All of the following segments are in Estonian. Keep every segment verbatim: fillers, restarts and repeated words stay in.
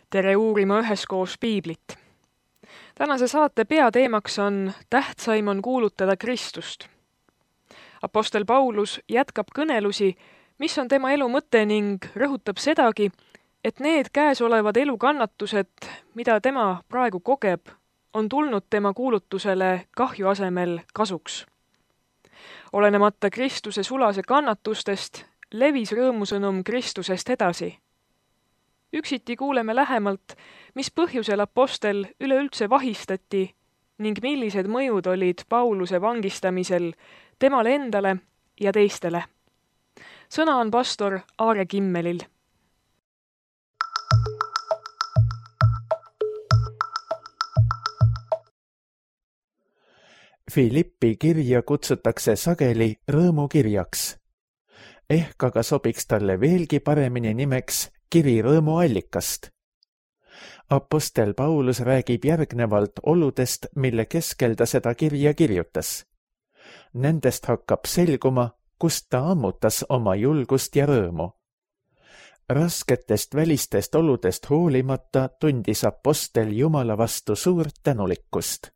tere uurima üheskoos piiblit. Tänase saate peateemaks on tähtsaim on kuulutada Kristust. Apostel Paulus jätkab kõnelusi, mis on tema elu mõte ning rõhutab sedagi, et need käesolevad elukannatused, mida tema praegu kogeb, on tulnud tema kuulutusele kahju asemel kasuks. Olenemata Kristuse sulase kannatustest, levis rõõmusõnum Kristusest edasi. Üksiti kuuleme lähemalt, mis põhjusel apostel üleüldse vahistati ning millised mõjud olid Pauluse vangistamisel temale endale ja teistele. Sõna on pastor Aare Kimmelil. Filippi kirja kutsutakse sageli rõõmukirjaks. Ehk aga sobiks talle veelgi paremini nimeks kiri rõõmuallikast. Apostel Paulus räägib järgnevalt oludest, mille keskel ta seda kirja kirjutas. Nendest hakkab selguma, kust ta ammutas oma julgust ja rõõmu. Rasketest välistest oludest hoolimata tundis apostel Jumala vastu suurt tänulikkust.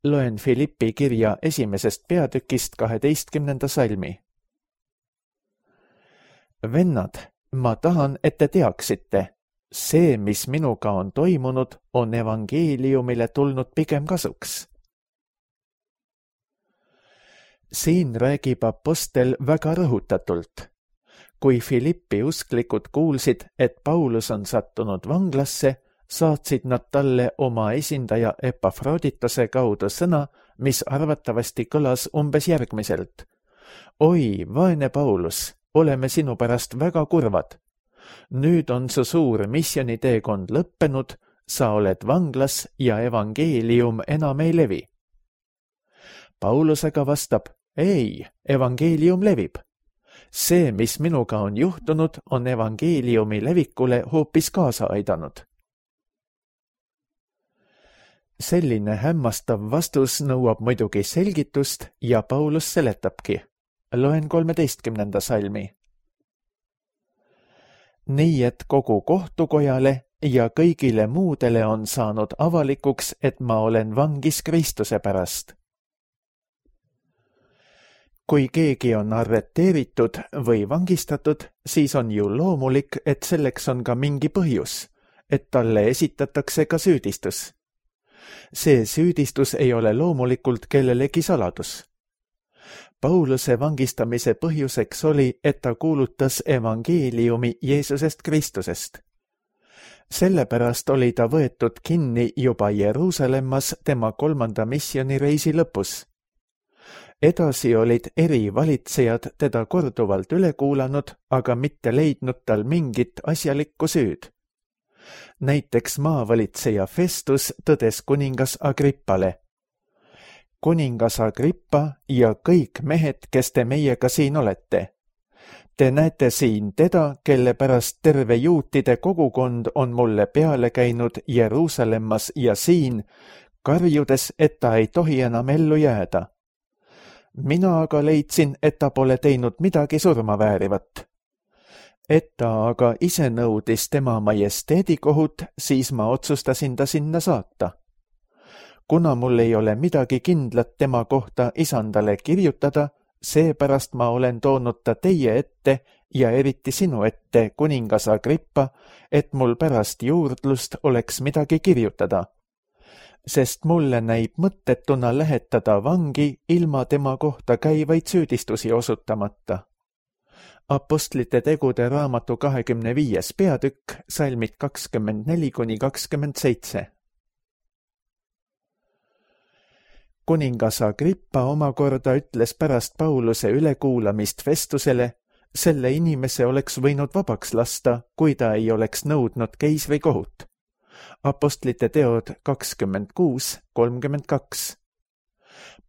Loen Filippi kirja esimesest peatükist kaheteistkümnenda salmi. Vennad, ma tahan, et te teaksite, see, mis minuga on toimunud, on evangeeliumile tulnud pigem kasuks. Siin räägib apostel väga rõhutatult. Kui Filippi usklikud kuulsid, et Paulus on sattunud vanglasse, saatsid nad talle oma esindaja Epafroditose kaudu sõna, mis arvatavasti kõlas umbes järgmiselt. Oi, vaene Paulus, oleme sinu pärast väga kurvad. Nüüd on su suur missioniteekond lõppenud, sa oled vanglas ja evangeelium enam ei levi. Paulus aga vastab, ei, evangeelium levib. See, mis minuga on juhtunud, on evangeeliumi levikule hoopis kaasa aidanud. Selline hämmastav vastus nõuab muidugi selgitust ja Paulus seletabki. Loen kolmeteistkümnenda salmi. Nii et kogu kohtukojale ja kõigile muudele on saanud avalikuks, et ma olen vangis Kristuse pärast. Kui keegi on arreteeritud või vangistatud, siis on ju loomulik, et selleks on ka mingi põhjus, et talle esitatakse ka süüdistus. See süüdistus ei ole loomulikult kellelegi saladus. Pauluse vangistamise põhjuseks oli, et ta kuulutas evangeeliumi Jeesusest Kristusest. Sellepärast oli ta võetud kinni juba Jeruusalemmas tema kolmanda missionireisi lõpus. Edasi olid eri valitsejad teda korduvalt üle kuulanud, aga mitte leidnud tal mingit asjalikku süüd. Näiteks maavalitseja Festus tõdes kuningas Agrippale. Kuningas Agrippa ja kõik mehed, kes te meiega siin olete. Te näete siin teda, kelle pärast terve juutide kogukond on mulle peale käinud Jeruusalemmas ja siin, karjudes, et ta ei tohi enam ellu jääda. Mina aga leidsin, et ta pole teinud midagi surmaväärivat. Et ta aga ise nõudis tema majesteedikohut, siis ma otsustasin ta sinna saata. Kuna mul ei ole midagi kindlat tema kohta isandale kirjutada, seepärast ma olen toonud ta teie ette ja eriti sinu ette, kuningas Agrippa, et mul pärast juurdlust oleks midagi kirjutada. Sest mulle näib mõttetuna lähetada vangi ilma tema kohta käivaid süüdistusi osutamata. Apostlite tegude raamatu kahekümne viies peatükk, salmid kakskümmend neli kuni kakskümmend seitse. Kuningas Agrippa omakorda ütles pärast Pauluse ülekuulamist Festusele, selle inimese oleks võinud vabaks lasta, kui ta ei oleks nõudnud keisri kohut. Apostlite teod kakskümmend kuus kolmkümmend kaks.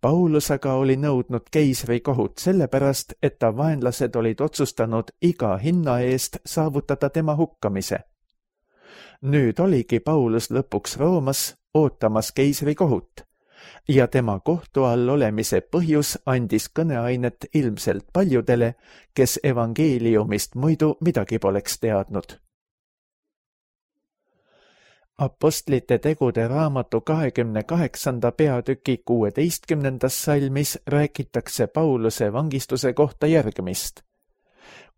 Paulus aga oli nõudnud keisri kohut sellepärast, et ta vaenlased olid otsustanud iga hinna eest saavutada tema hukkamise. Nüüd oligi Paulus lõpuks Roomas ootamas keisri kohut ja tema kohtu all olemise põhjus andis kõneainet ilmselt paljudele, kes evangeeliumist muidu midagi poleks teadnud. Apostlite tegude raamatu kahekümne kaheksanda peatüki kuueteistkümnendas salmis räägitakse Pauluse vangistuse kohta järgmist.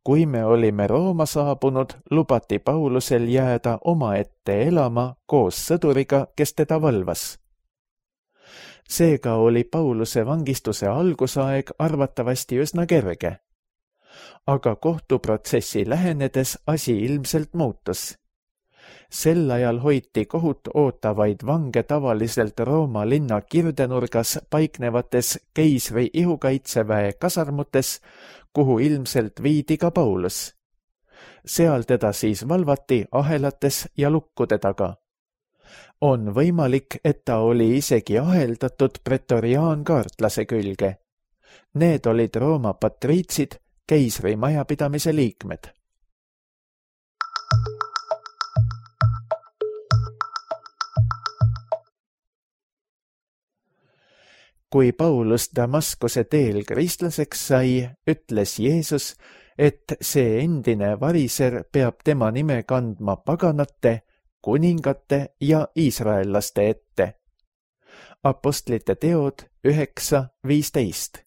Kui me olime Rooma saabunud, lubati Paulusel jääda omaette elama koos sõduriga, kes teda valvas. Seega oli Pauluse vangistuse algusaeg arvatavasti üsna kerge. Aga kohtuprotsessi lähenedes asi ilmselt muutus. Sel ajal hoiti kohut ootavaid vange tavaliselt Rooma linna kirdenurgas paiknevates keisri ihukaitseväe kasarmutes, kuhu ilmselt viidi ka Paulus. Seal teda siis valvati ahelates ja lukkude taga. On võimalik, et ta oli isegi aheldatud pretoriaankaartlase külge. Need olid Rooma patriitsid, keisri majapidamise liikmed. Kui Paulus Damaskuse teel kristlaseks sai, ütles Jeesus, et see endine variser peab tema nime kandma paganate, kuningate ja iisraellaste ette. Apostlite teod üheksa viisteist.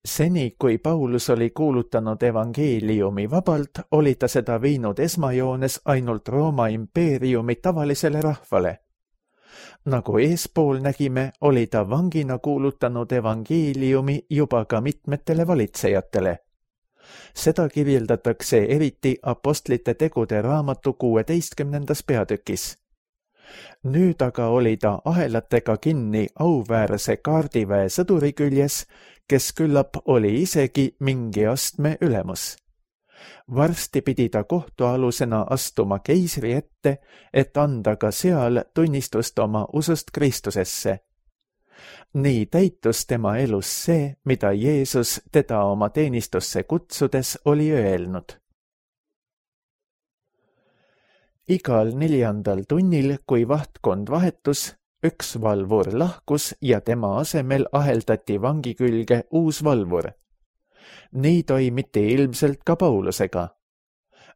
Seni, kui Paulus oli kuulutanud evangeeliumi vabalt, oli ta seda viinud esmajoones ainult Rooma impeeriumi tavalisele rahvale. Nagu eespool nägime, oli ta vangina kuulutanud evangeeliumi juba ka mitmetele valitsejatele. Seda kirjeldatakse eriti Apostlite tegude raamatu kuueteistkümnendas peatükis. Nüüd aga oli ta ahelatega kinni auväärse kaardiväe sõduri küljes, kes küllap oli isegi mingi astme ülemus. Varsti pidi ta kohtualusena astuma keisri ette, et anda ka seal tunnistust oma usust Kristusesse. Nii täitus tema elus see, mida Jeesus teda oma teenistusse kutsudes oli öelnud. Igal neljandal tunnil, kui vahtkond vahetus, üks valvur lahkus ja tema asemel aheldati vangi külge uus valvur. Nii toimiti ilmselt ka Paulusega.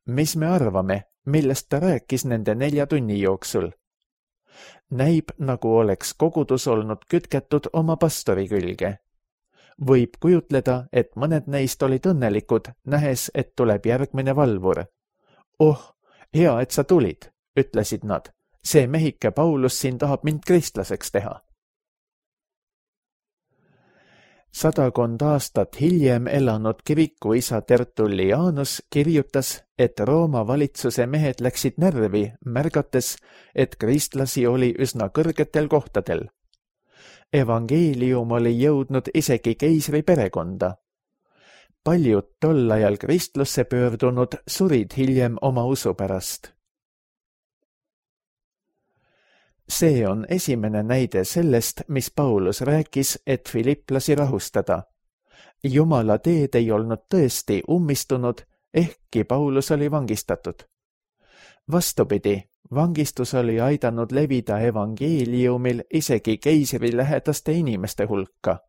Mis me arvame, millest ta rääkis nende nelja tunni jooksul? Näib, nagu oleks kogudus olnud kütketud oma pastori külge. Võib kujutleda, et mõned neist olid õnnelikud, nähes, et tuleb järgmine valvur. Oh, hea, et sa tulid, ütlesid nad. See mehike Paulus siin tahab mind kristlaseks teha. Sadakond aastat hiljem elanud kirikuisa Tertullianus kirjutas, et Rooma valitsuse mehed läksid närvi, märgates, et kristlasi oli üsna kõrgetel kohtadel. Evangeelium oli jõudnud isegi keisri perekonda. Paljud tol ajal kristlusse pöördunud surid hiljem oma usu pärast. See on esimene näide sellest, mis Paulus rääkis, et filiplasi rahustada. Jumala teed ei olnud tõesti ummistunud, ehkki Paulus oli vangistatud. Vastupidi, vangistus oli aidanud levida evangeeliumil isegi keisri lähedaste inimeste hulka.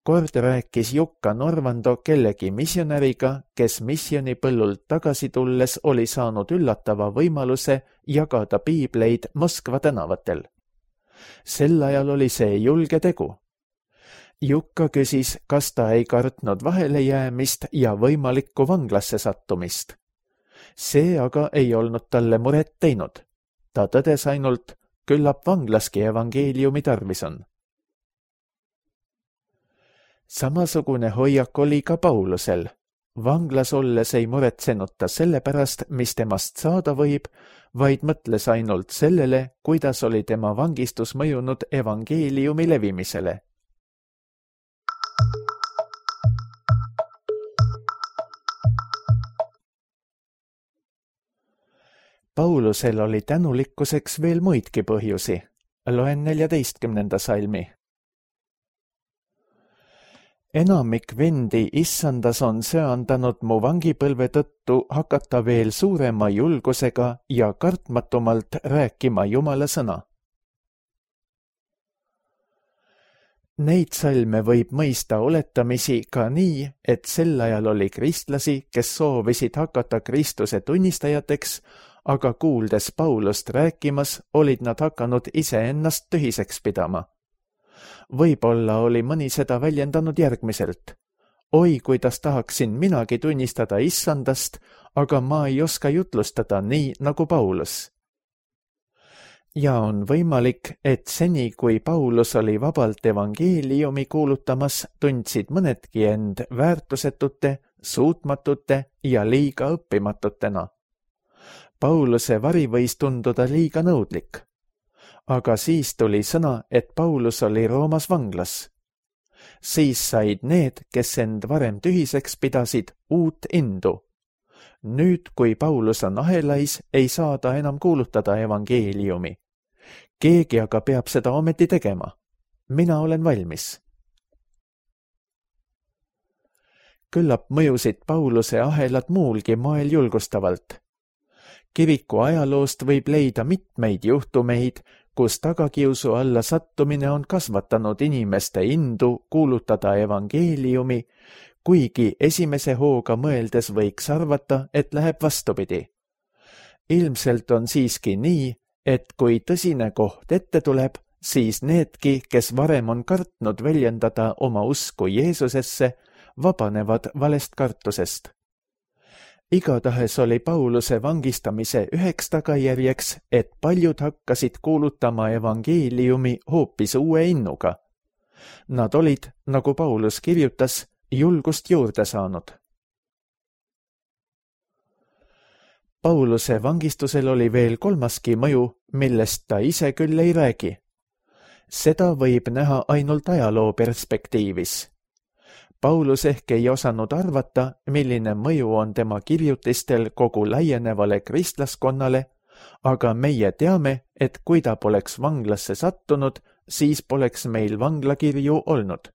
Kord rääkis Jukka Norvando kellegi missionäriga, kes missionipõllult tagasi tulles oli saanud üllatava võimaluse jagada piibleid Moskva tänavatel. Sel ajal oli see julge tegu. Jukka küsis, kas ta ei kartnud vahelejäämist ja võimalikku vanglasse sattumist. See aga ei olnud talle muret teinud. Ta tõdes ainult, küllap vanglaski evangeeliumi tarvis on. Samasugune hoiak oli ka Paulusel. Vanglas olles ei muretsenud ta selle pärast, mis temast saada võib, vaid mõtles ainult sellele, kuidas oli tema vangistus mõjunud evangeeliumi levimisele. Paulusel oli tänulikkuseks veel muidki põhjusi. Loen neljateistkümnenda salmi. Enamik vendi issandas on söandanud mu vangipõlve tõttu hakata veel suurema julgusega ja kartmatumalt rääkima Jumala sõna. Neid salme võib mõista oletamisi ka nii, et sel ajal oli kristlasi, kes soovisid hakata Kristuse tunnistajateks, aga kuuldes Paulust rääkimas, olid nad hakanud iseennast tühiseks pidama. Võib-olla oli mõni seda väljendanud järgmiselt. Oi, kuidas tahaksin minagi tunnistada issandast, aga ma ei oska jutlustada nii nagu Paulus. Ja on võimalik, et seni, kui Paulus oli vabalt evangeeliumi kuulutamas, tundsid mõnedki end väärtusetute, suutmatute ja liiga õppimatutena. Pauluse vari võis tunduda liiga nõudlik. Aga siis tuli sõna, et Paulus oli Roomas vanglas. Siis said need, kes end varem tühiseks pidasid, uut indu. Nüüd, kui Paulus on ahelais, ei saa ta enam kuulutada evangeeliumi. Keegi aga peab seda ometi tegema. Mina olen valmis. Küllap mõjusid Pauluse ahelad muulgi moel julgustavalt. Kiriku ajaloost võib leida mitmeid juhtumeid, kus tagakiusu alla sattumine on kasvatanud inimeste indu kuulutada evangeeliumi, kuigi esimese hooga mõeldes võiks arvata, et läheb vastupidi. Ilmselt on siiski nii, et kui tõsine koht ette tuleb, siis needki, kes varem on kartnud väljendada oma usku Jeesusesse, vabanevad valest kartusest. Igatahes oli Pauluse vangistamise üheks tagajärjeks, et paljud hakkasid kuulutama evangeeliumi hoopis uue innuga. Nad olid, nagu Paulus kirjutas, julgust juurde saanud. Pauluse vangistusel oli veel kolmaski mõju, millest ta ise küll ei räägi. Seda võib näha ainult ajaloo perspektiivis. Paulus ehk ei osanud arvata, milline mõju on tema kirjutistel kogu laienevale kristlaskonnale, aga meie teame, et kui ta poleks vanglasse sattunud, siis poleks meil vanglakirju olnud.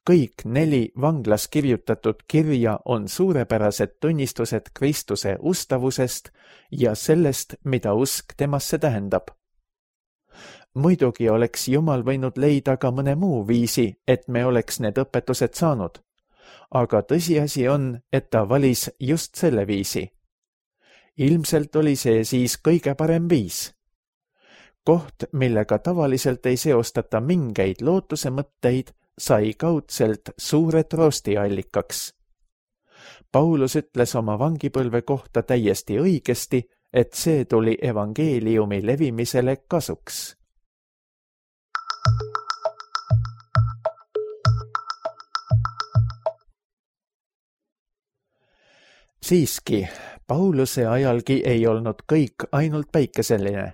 Kõik neli vanglas kirjutatud kirja on suurepärased tunnistused Kristuse ustavusest ja sellest, mida usk temasse tähendab. Muidugi oleks Jumal võinud leida ka mõne muu viisi, et me oleks need õpetused saanud. Aga tõsiasi on, et ta valis just selle viisi. Ilmselt oli see siis kõige parem viis. Koht, millega tavaliselt ei seostata mingeid lootuse mõtteid, sai kaudselt suure troostiallikaks. Paulus ütles oma vangipõlve kohta täiesti õigesti, et see tuli evangeeliumi levimisele kasuks. Siiski, Pauluse ajalgi ei olnud kõik ainult päikeseline.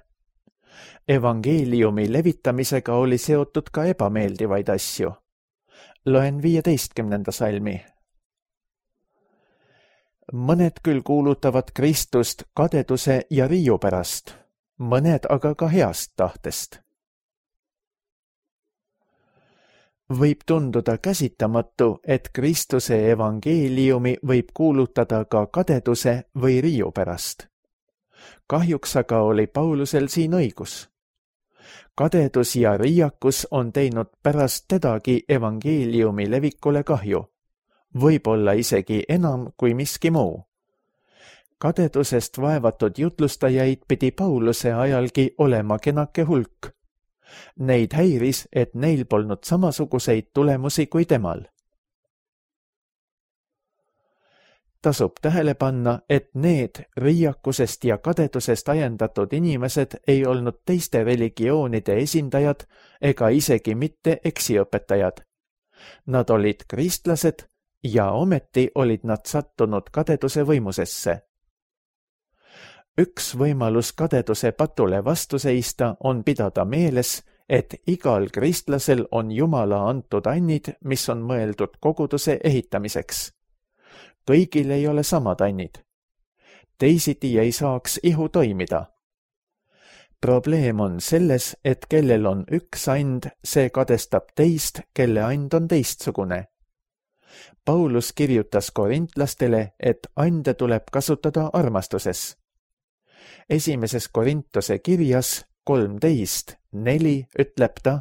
Evangeeliumi levitamisega oli seotud ka ebameeldivaid asju. Loen viieteistkümnenda salmi. Mõned küll kuulutavad Kristust kadeduse ja riiu pärast, mõned aga ka heast tahtest. Võib tunduda käsitamatu, et Kristuse evangeeliumi võib kuulutada ka kadeduse või riiu pärast. Kahjuks aga oli Paulusel siin õigus. Kadedus ja riiakus on teinud pärast tedagi evangeeliumi levikule kahju, võib-olla isegi enam kui miski muu. Kadedusest vaevatud jutlustajaid pidi Pauluse ajalgi olema kenake hulk. Neid häiris, et neil polnud samasuguseid tulemusi kui temal. Tasub tähele panna, et need riiakusest ja kadedusest ajendatud inimesed ei olnud teiste religioonide esindajad ega isegi mitte eksiõpetajad. Nad olid kristlased ja ometi olid nad sattunud kadeduse võimusesse. Üks võimalus kadeduse patule vastu seista on pidada meeles, et igal kristlasel on Jumala antud annid, mis on mõeldud koguduse ehitamiseks. Kõigil ei ole samad annid. Teisiti ei saaks ihu toimida. Probleem on selles, et kellel on üks and, see kadestab teist, kelle and on teistsugune. Paulus kirjutas korintlastele, et ande tuleb kasutada armastuses. Esimeses Korintuse kirjas kolmteist neli ütleb ta: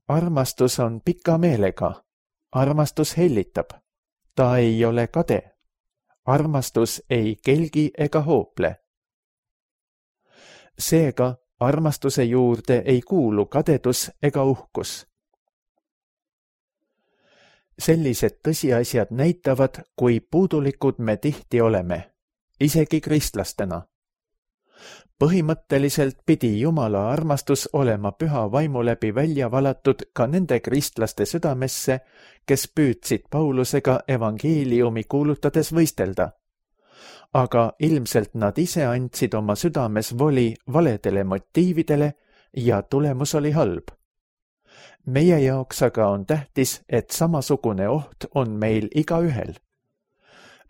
armastus on pika meelega. Armastus hellitab. Ta ei ole kade. Armastus ei kelgi ega hoople. Seega armastuse juurde ei kuulu kadedus ega uhkus. Sellised tõsiasjad näitavad, kui puudulikud me tihti oleme, isegi kristlastena. Põhimõtteliselt pidi Jumala armastus olema püha vaimu läbi välja valatud ka nende kristlaste südamesse, kes püüdsid Paulusega evangeeliumi kuulutades võistelda. Aga ilmselt nad ise andsid oma südames voli valedele motiividele ja tulemus oli halb. Meie jaoks aga on tähtis, et samasugune oht on meil igaühel.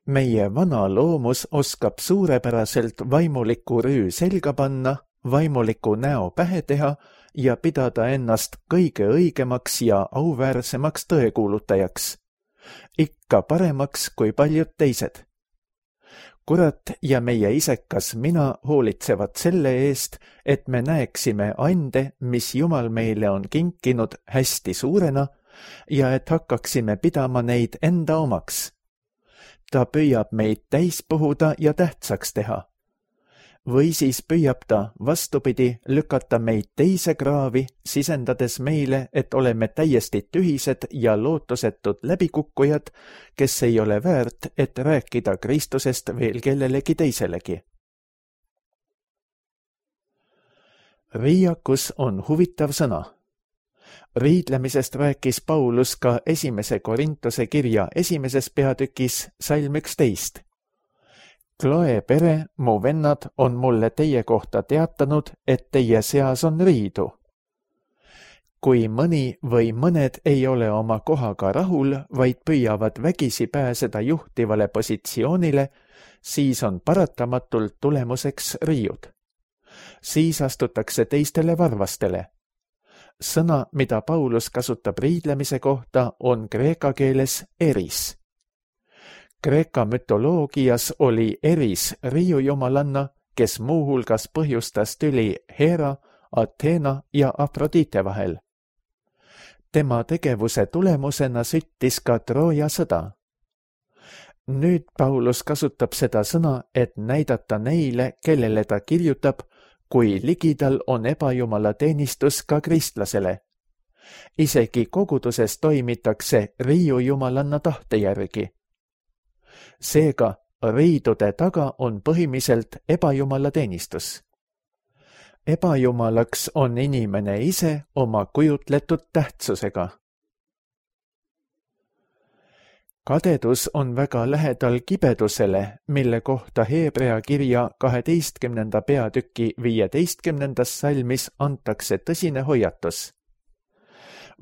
Meie vana loomus oskab suurepäraselt vaimuliku rüü selga panna, vaimuliku näo pähe teha ja pidada ennast kõige õigemaks ja auväärsemaks tõekuulutajaks. Ikka paremaks kui paljud teised. Kurat ja meie isekas mina hoolitsevad selle eest, et me näeksime ande, mis Jumal meile on kinkinud hästi suurena ja et hakkaksime pidama neid enda omaks. Ta püüab meid täis puhuda ja tähtsaks teha. Või siis püüab ta vastupidi lükata meid teise kraavi, sisendades meile, et oleme täiesti tühised ja lootusetud läbikukkujad, kes ei ole väärt, et rääkida Kristusest veel kellelegi teiselegi. Riiakus on huvitav sõna. Riidlemisest rääkis Paulus ka esimese Korintuse kirja esimeses peatükis salm üksteist. Kloe pere, mu vennad, on mulle teie kohta teatanud, et teie seas on riidu. Kui mõni või mõned ei ole oma kohaga rahul, vaid püüavad vägisi pääseda juhtivale positsioonile, siis on paratamatult tulemuseks riiud. Siis astutakse teistele varvastele. Sõna, mida Paulus kasutab riidlemise kohta, on kreeka keeles eris. Kreeka mütoloogias oli Eris riiujumalanna, kes muuhulgas põhjustas tüli Hera, Athena ja Afrodite vahel. Tema tegevuse tulemusena süttis ka Trooja sõda. Nüüd Paulus kasutab seda sõna, et näidata neile, kellele ta kirjutab, kui ligidal on ebajumala teenistus ka kristlasele. Isegi koguduses toimitakse riiujumalanna tahte järgi. Seega riidude taga on põhimiselt ebajumala teenistus. Ebajumalaks on inimene ise oma kujutletud tähtsusega. Kadedus on väga lähedal kibedusele, mille kohta Heebrea kirja kaheteistkümnenda peatüki viieteistkümnendas salmis antakse tõsine hoiatus.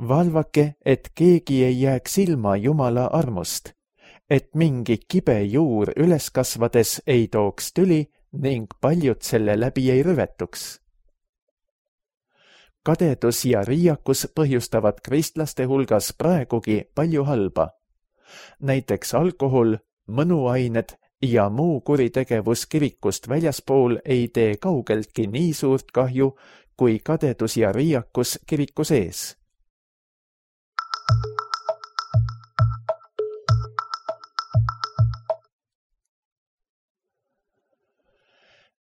Valvake, et keegi ei jääks ilma Jumala armust, et mingi kibe juur üles kasvades ei tooks tüli ning paljud selle läbi ei rüvetuks. Kadedus ja riiakus põhjustavad kristlaste hulgas praegugi palju halba. Näiteks alkohol, mõnuained ja muu kuritegevus kirikust väljaspool ei tee kaugeltki nii suurt kahju kui kadedus ja riiakus kiriku sees.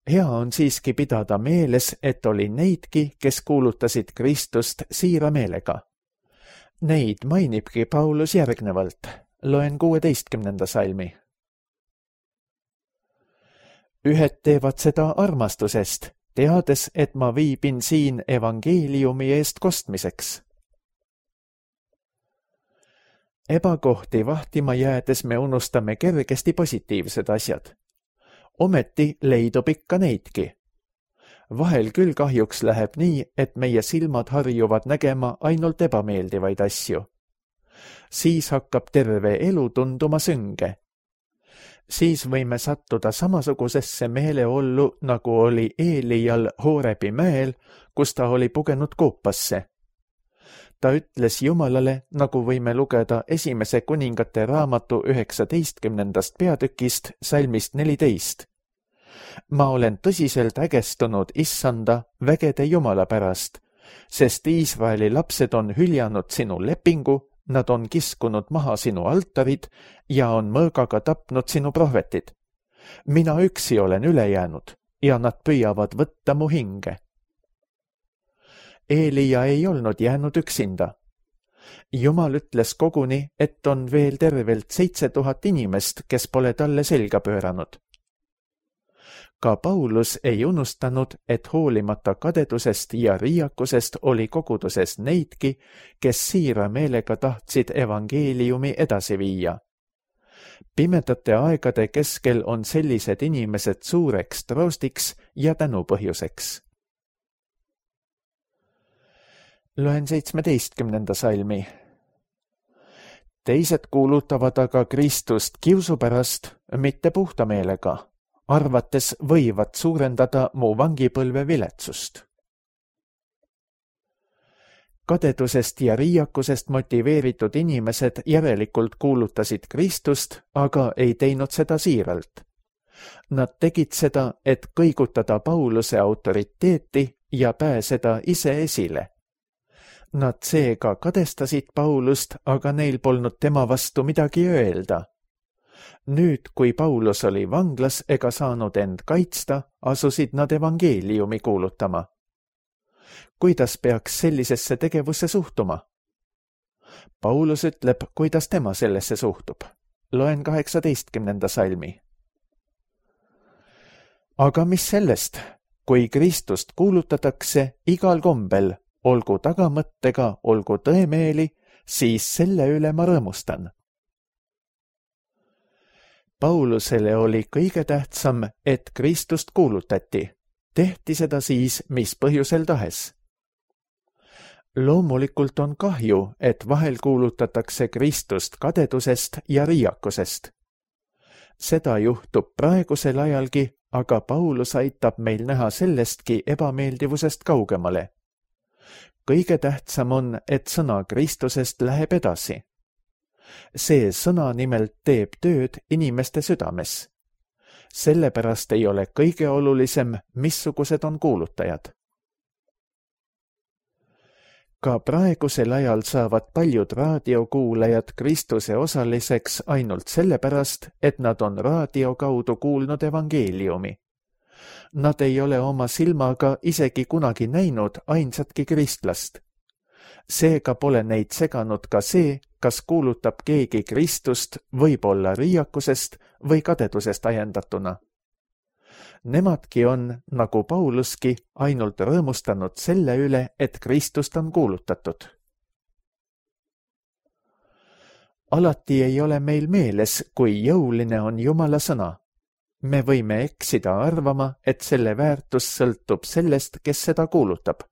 Hea on siiski pidada meeles, et oli neidki, kes kuulutasid Kristust siira meelega. Neid mainibki Paulus järgnevalt. Loen kuueteistkümnenda salmi. Ühed teevad seda armastusest, teades, et ma viibin siin evangeeliumi eest kostmiseks. Ebakohti vahtima jäädes me unustame kergesti positiivsed asjad. Ometi leidub ikka neidki. Vahel küll kahjuks läheb nii, et meie silmad harjuvad nägema ainult ebameeldivaid asju. Siis hakkab terve elu tunduma sünge. Siis võime sattuda samasugusesse meeleollu, nagu oli Eelial Hoorebi mäel, kus ta oli pugenud koopasse. Ta ütles Jumalale, nagu võime lugeda esimese kuningate raamatu üheksateistkümnendast peatükist salmist neliteist. Ma olen tõsiselt ägestunud issanda vägede Jumala pärast, sest Iisraeli lapsed on hüljanud sinu lepingu, nad on kiskunud maha sinu altarid ja on mõõgaga tapnud sinu prohvetid. Mina üksi olen üle jäänud ja nad püüavad võtta mu hinge. Eelia ei olnud jäänud üksinda. Jumal ütles koguni, et on veel tervelt seitse tuhat inimest, kes pole talle selga pööranud. Ka Paulus ei unustanud, et hoolimata kadedusest ja riiakusest oli koguduses neidki, kes siira meelega tahtsid evangeeliumi edasi viia. Pimedate aegade keskel on sellised inimesed suureks troostiks ja tänupõhjuseks. Loen seitsmeteistkümnenda salmi. Teised kuulutavad aga Kristust kiusu pärast, mitte puhta meelega, arvates võivad suurendada mu vangipõlve viletsust. Kadedusest ja riiakusest motiveeritud inimesed järelikult kuulutasid Kristust, aga ei teinud seda siiralt. Nad tegid seda, et kõigutada Pauluse autoriteeti ja pääseda ise esile. Nad seega kadestasid Paulust, aga neil polnud tema vastu midagi öelda. Nüüd, kui Paulus oli vanglas ega saanud end kaitsta, asusid nad evangeeliumi kuulutama. Kuidas peaks sellisesse tegevusse suhtuma? Paulus ütleb, kuidas tema sellesse suhtub. Loen kaheksateistkümnenda salmi. Aga mis sellest, kui Kristust kuulutatakse igal kombel, olgu tagamõttega, olgu tõemeeli, siis selle üle ma rõõmustan. Paulusele oli kõige tähtsam, et Kristust kuulutati. Tehti seda siis, mis põhjusel tahes. Loomulikult on kahju, et vahel kuulutatakse Kristust kadedusest ja riiakusest. Seda juhtub praegusel ajalgi, aga Paulus aitab meil näha sellestki ebameeldivusest kaugemale. Kõige tähtsam on, et sõna Kristusest läheb edasi. See sõna nimelt teeb tööd inimeste südames. Sellepärast ei ole kõige olulisem, missugused on kuulutajad. Ka praegusel ajal saavad paljud raadiokuulajad Kristuse osaliseks ainult sellepärast, et nad on raadio kaudu kuulnud evangeeliumi. Nad ei ole oma silmaga isegi kunagi näinud ainsatki kristlast. Seega pole neid seganud ka see, kas kuulutab keegi Kristust võib-olla riiakusest või kadedusest ajendatuna. Nemadki on, nagu Pauluski, ainult rõõmustanud selle üle, et Kristust on kuulutatud. Alati ei ole meil meeles, kui jõuline on Jumala sõna. Me võime eksida arvama, et selle väärtus sõltub sellest, kes seda kuulutab.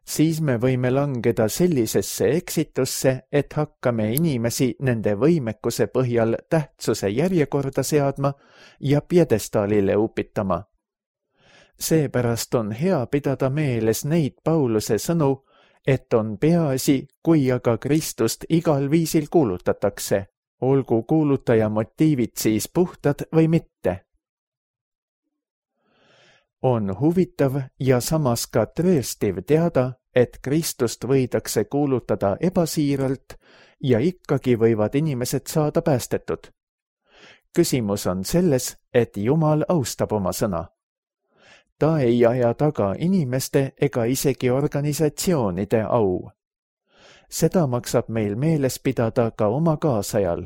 Siis me võime langeda sellisesse eksitusse, et hakkame inimesi nende võimekuse põhjal tähtsuse järjekorda seadma ja pjedestaalile upitama. Seepärast on hea pidada meeles neid Pauluse sõnu, et on peaasi, kui aga Kristust igal viisil kuulutatakse, olgu kuulutaja motiivid siis puhtad või mitte. On huvitav ja samas ka trööstiv teada, et Kristust võidakse kuulutada ebasiiralt ja ikkagi võivad inimesed saada päästetud. Küsimus on selles, et Jumal austab oma sõna. Ta ei aja taga inimeste ega isegi organisatsioonide au. Seda maksab meil meeles pidada ka oma kaasajal.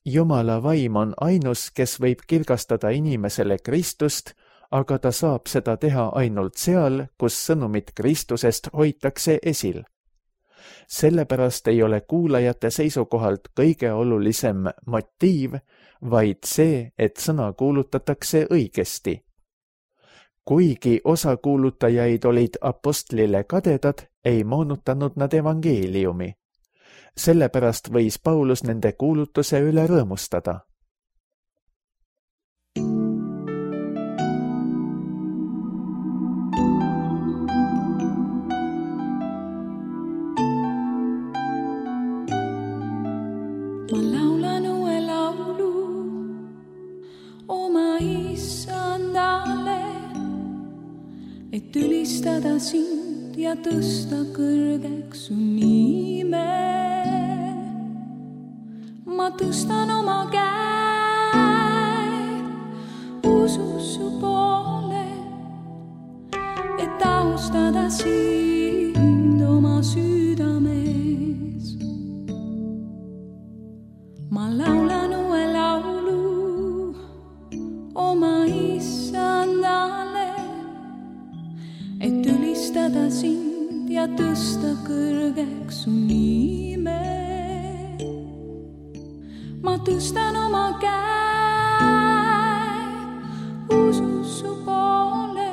Jumala vaim on ainus, kes võib kirgastada inimesele Kristust, aga ta saab seda teha ainult seal, kus sõnumit Kristusest hoitakse esil. Sellepärast ei ole kuulajate seisukohalt kõige olulisem motiiv, vaid see, et sõna kuulutatakse õigesti. Kuigi osa kuulutajaid olid apostlile kadedad, ei moonutanud nad evangeeliumi. Sellepärast võis Paulus nende kuulutuse üle rõõmustada. Ma laulan uue laulu oma issandale, et ülistada sind ja tõsta kõrgeks su nime. Ma tõstan oma käed usus su poole, et austada sind oma südames. Ma laulan uue laulu oma issandale, et ülistada sind ja tõsta kõrgeks su nime. Ma tõstan oma käed usus su poole,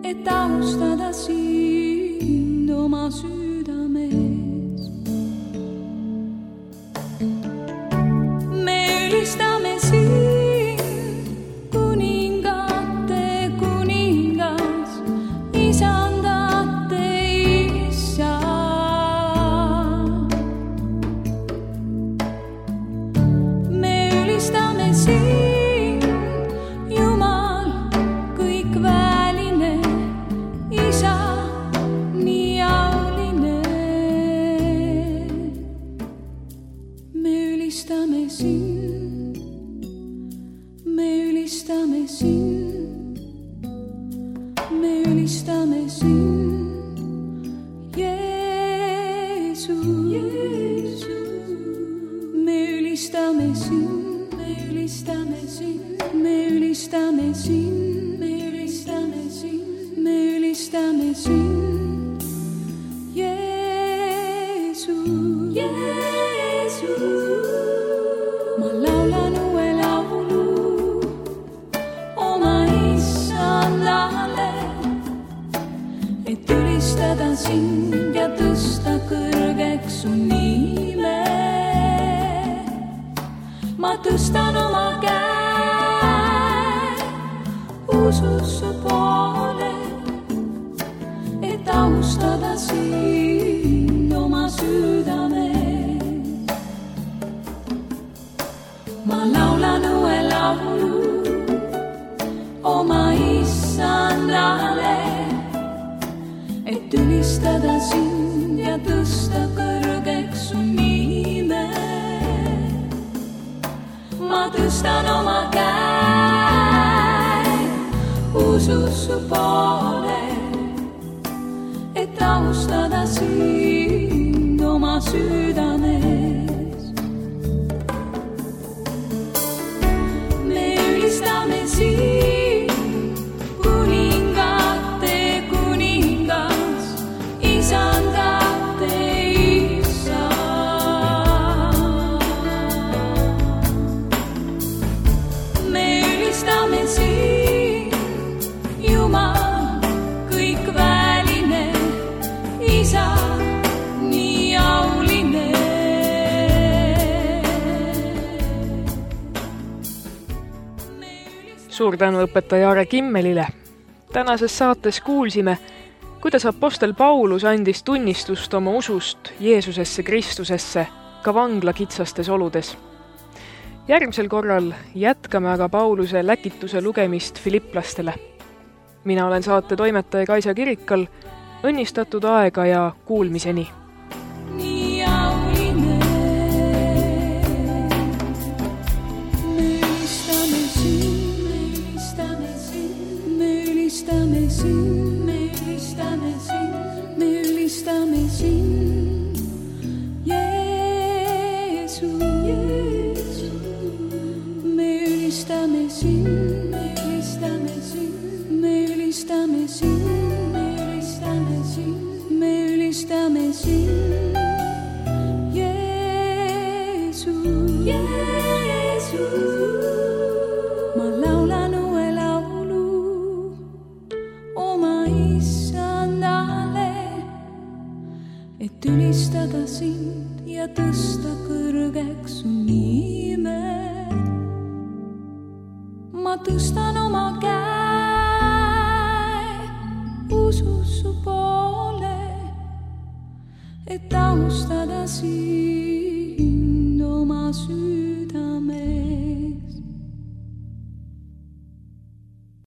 et austada sind oma südames. Me ülistame sind, kuningate kuningas, isandate isa. Me ülistame sind, Jumal kõikväeline, isa nii auline. Me ülistame sind, me ülistame sind, me ülistame sind, Jeesus. Me ülistame sind, me ülistame sind, me ülistame sind, me ülistame sind, me ülistame sind, Jeesus. Ma laulan uue laulu oma issandale, et ülistada sind ja tõsta kõrgeks su nime. Ma tõstan oma käed usus su poole, et austada sind oma südames. Ma laulan uue laulu oma issandale, et ülistada sind ja tõsta kõrgeks su nime. Ma tõstan oma käed usus su poole, et austada sind oma südames. Me ülistame sind, kuningate kuningas, isandate isa. Me ülistame sind, Jumal kõikväeline, isa nii auline. Suur tänu õpetaja Aare Kimmelile. Tänases saates kuulsime, kuidas apostel Paulus andis tunnistust oma usust Jeesusesse Kristusesse ka vangla kitsastes oludes. Järgmisel korral jätkame aga Pauluse läkituse lugemist filipplastele. Mina olen saate toimetaja Kaisa Kirikal. Õnnistatud aega ja kuulmiseni! Nii auline. Me ülistame sind, me ülistame sind, me ülistame sind, me ülistame sind, me ülistame sind, Jeesus. Me ülistame sind, me ülistame sind, me ülistame sind, me ülistame sind, me ülistame sind, Jeesus. Ma laulan uue laulu oma issandale, et ülistada sind ja tõsta kõrgeks su nime. Ma tõstan oma käed usus su poole, et austada sind oma südames.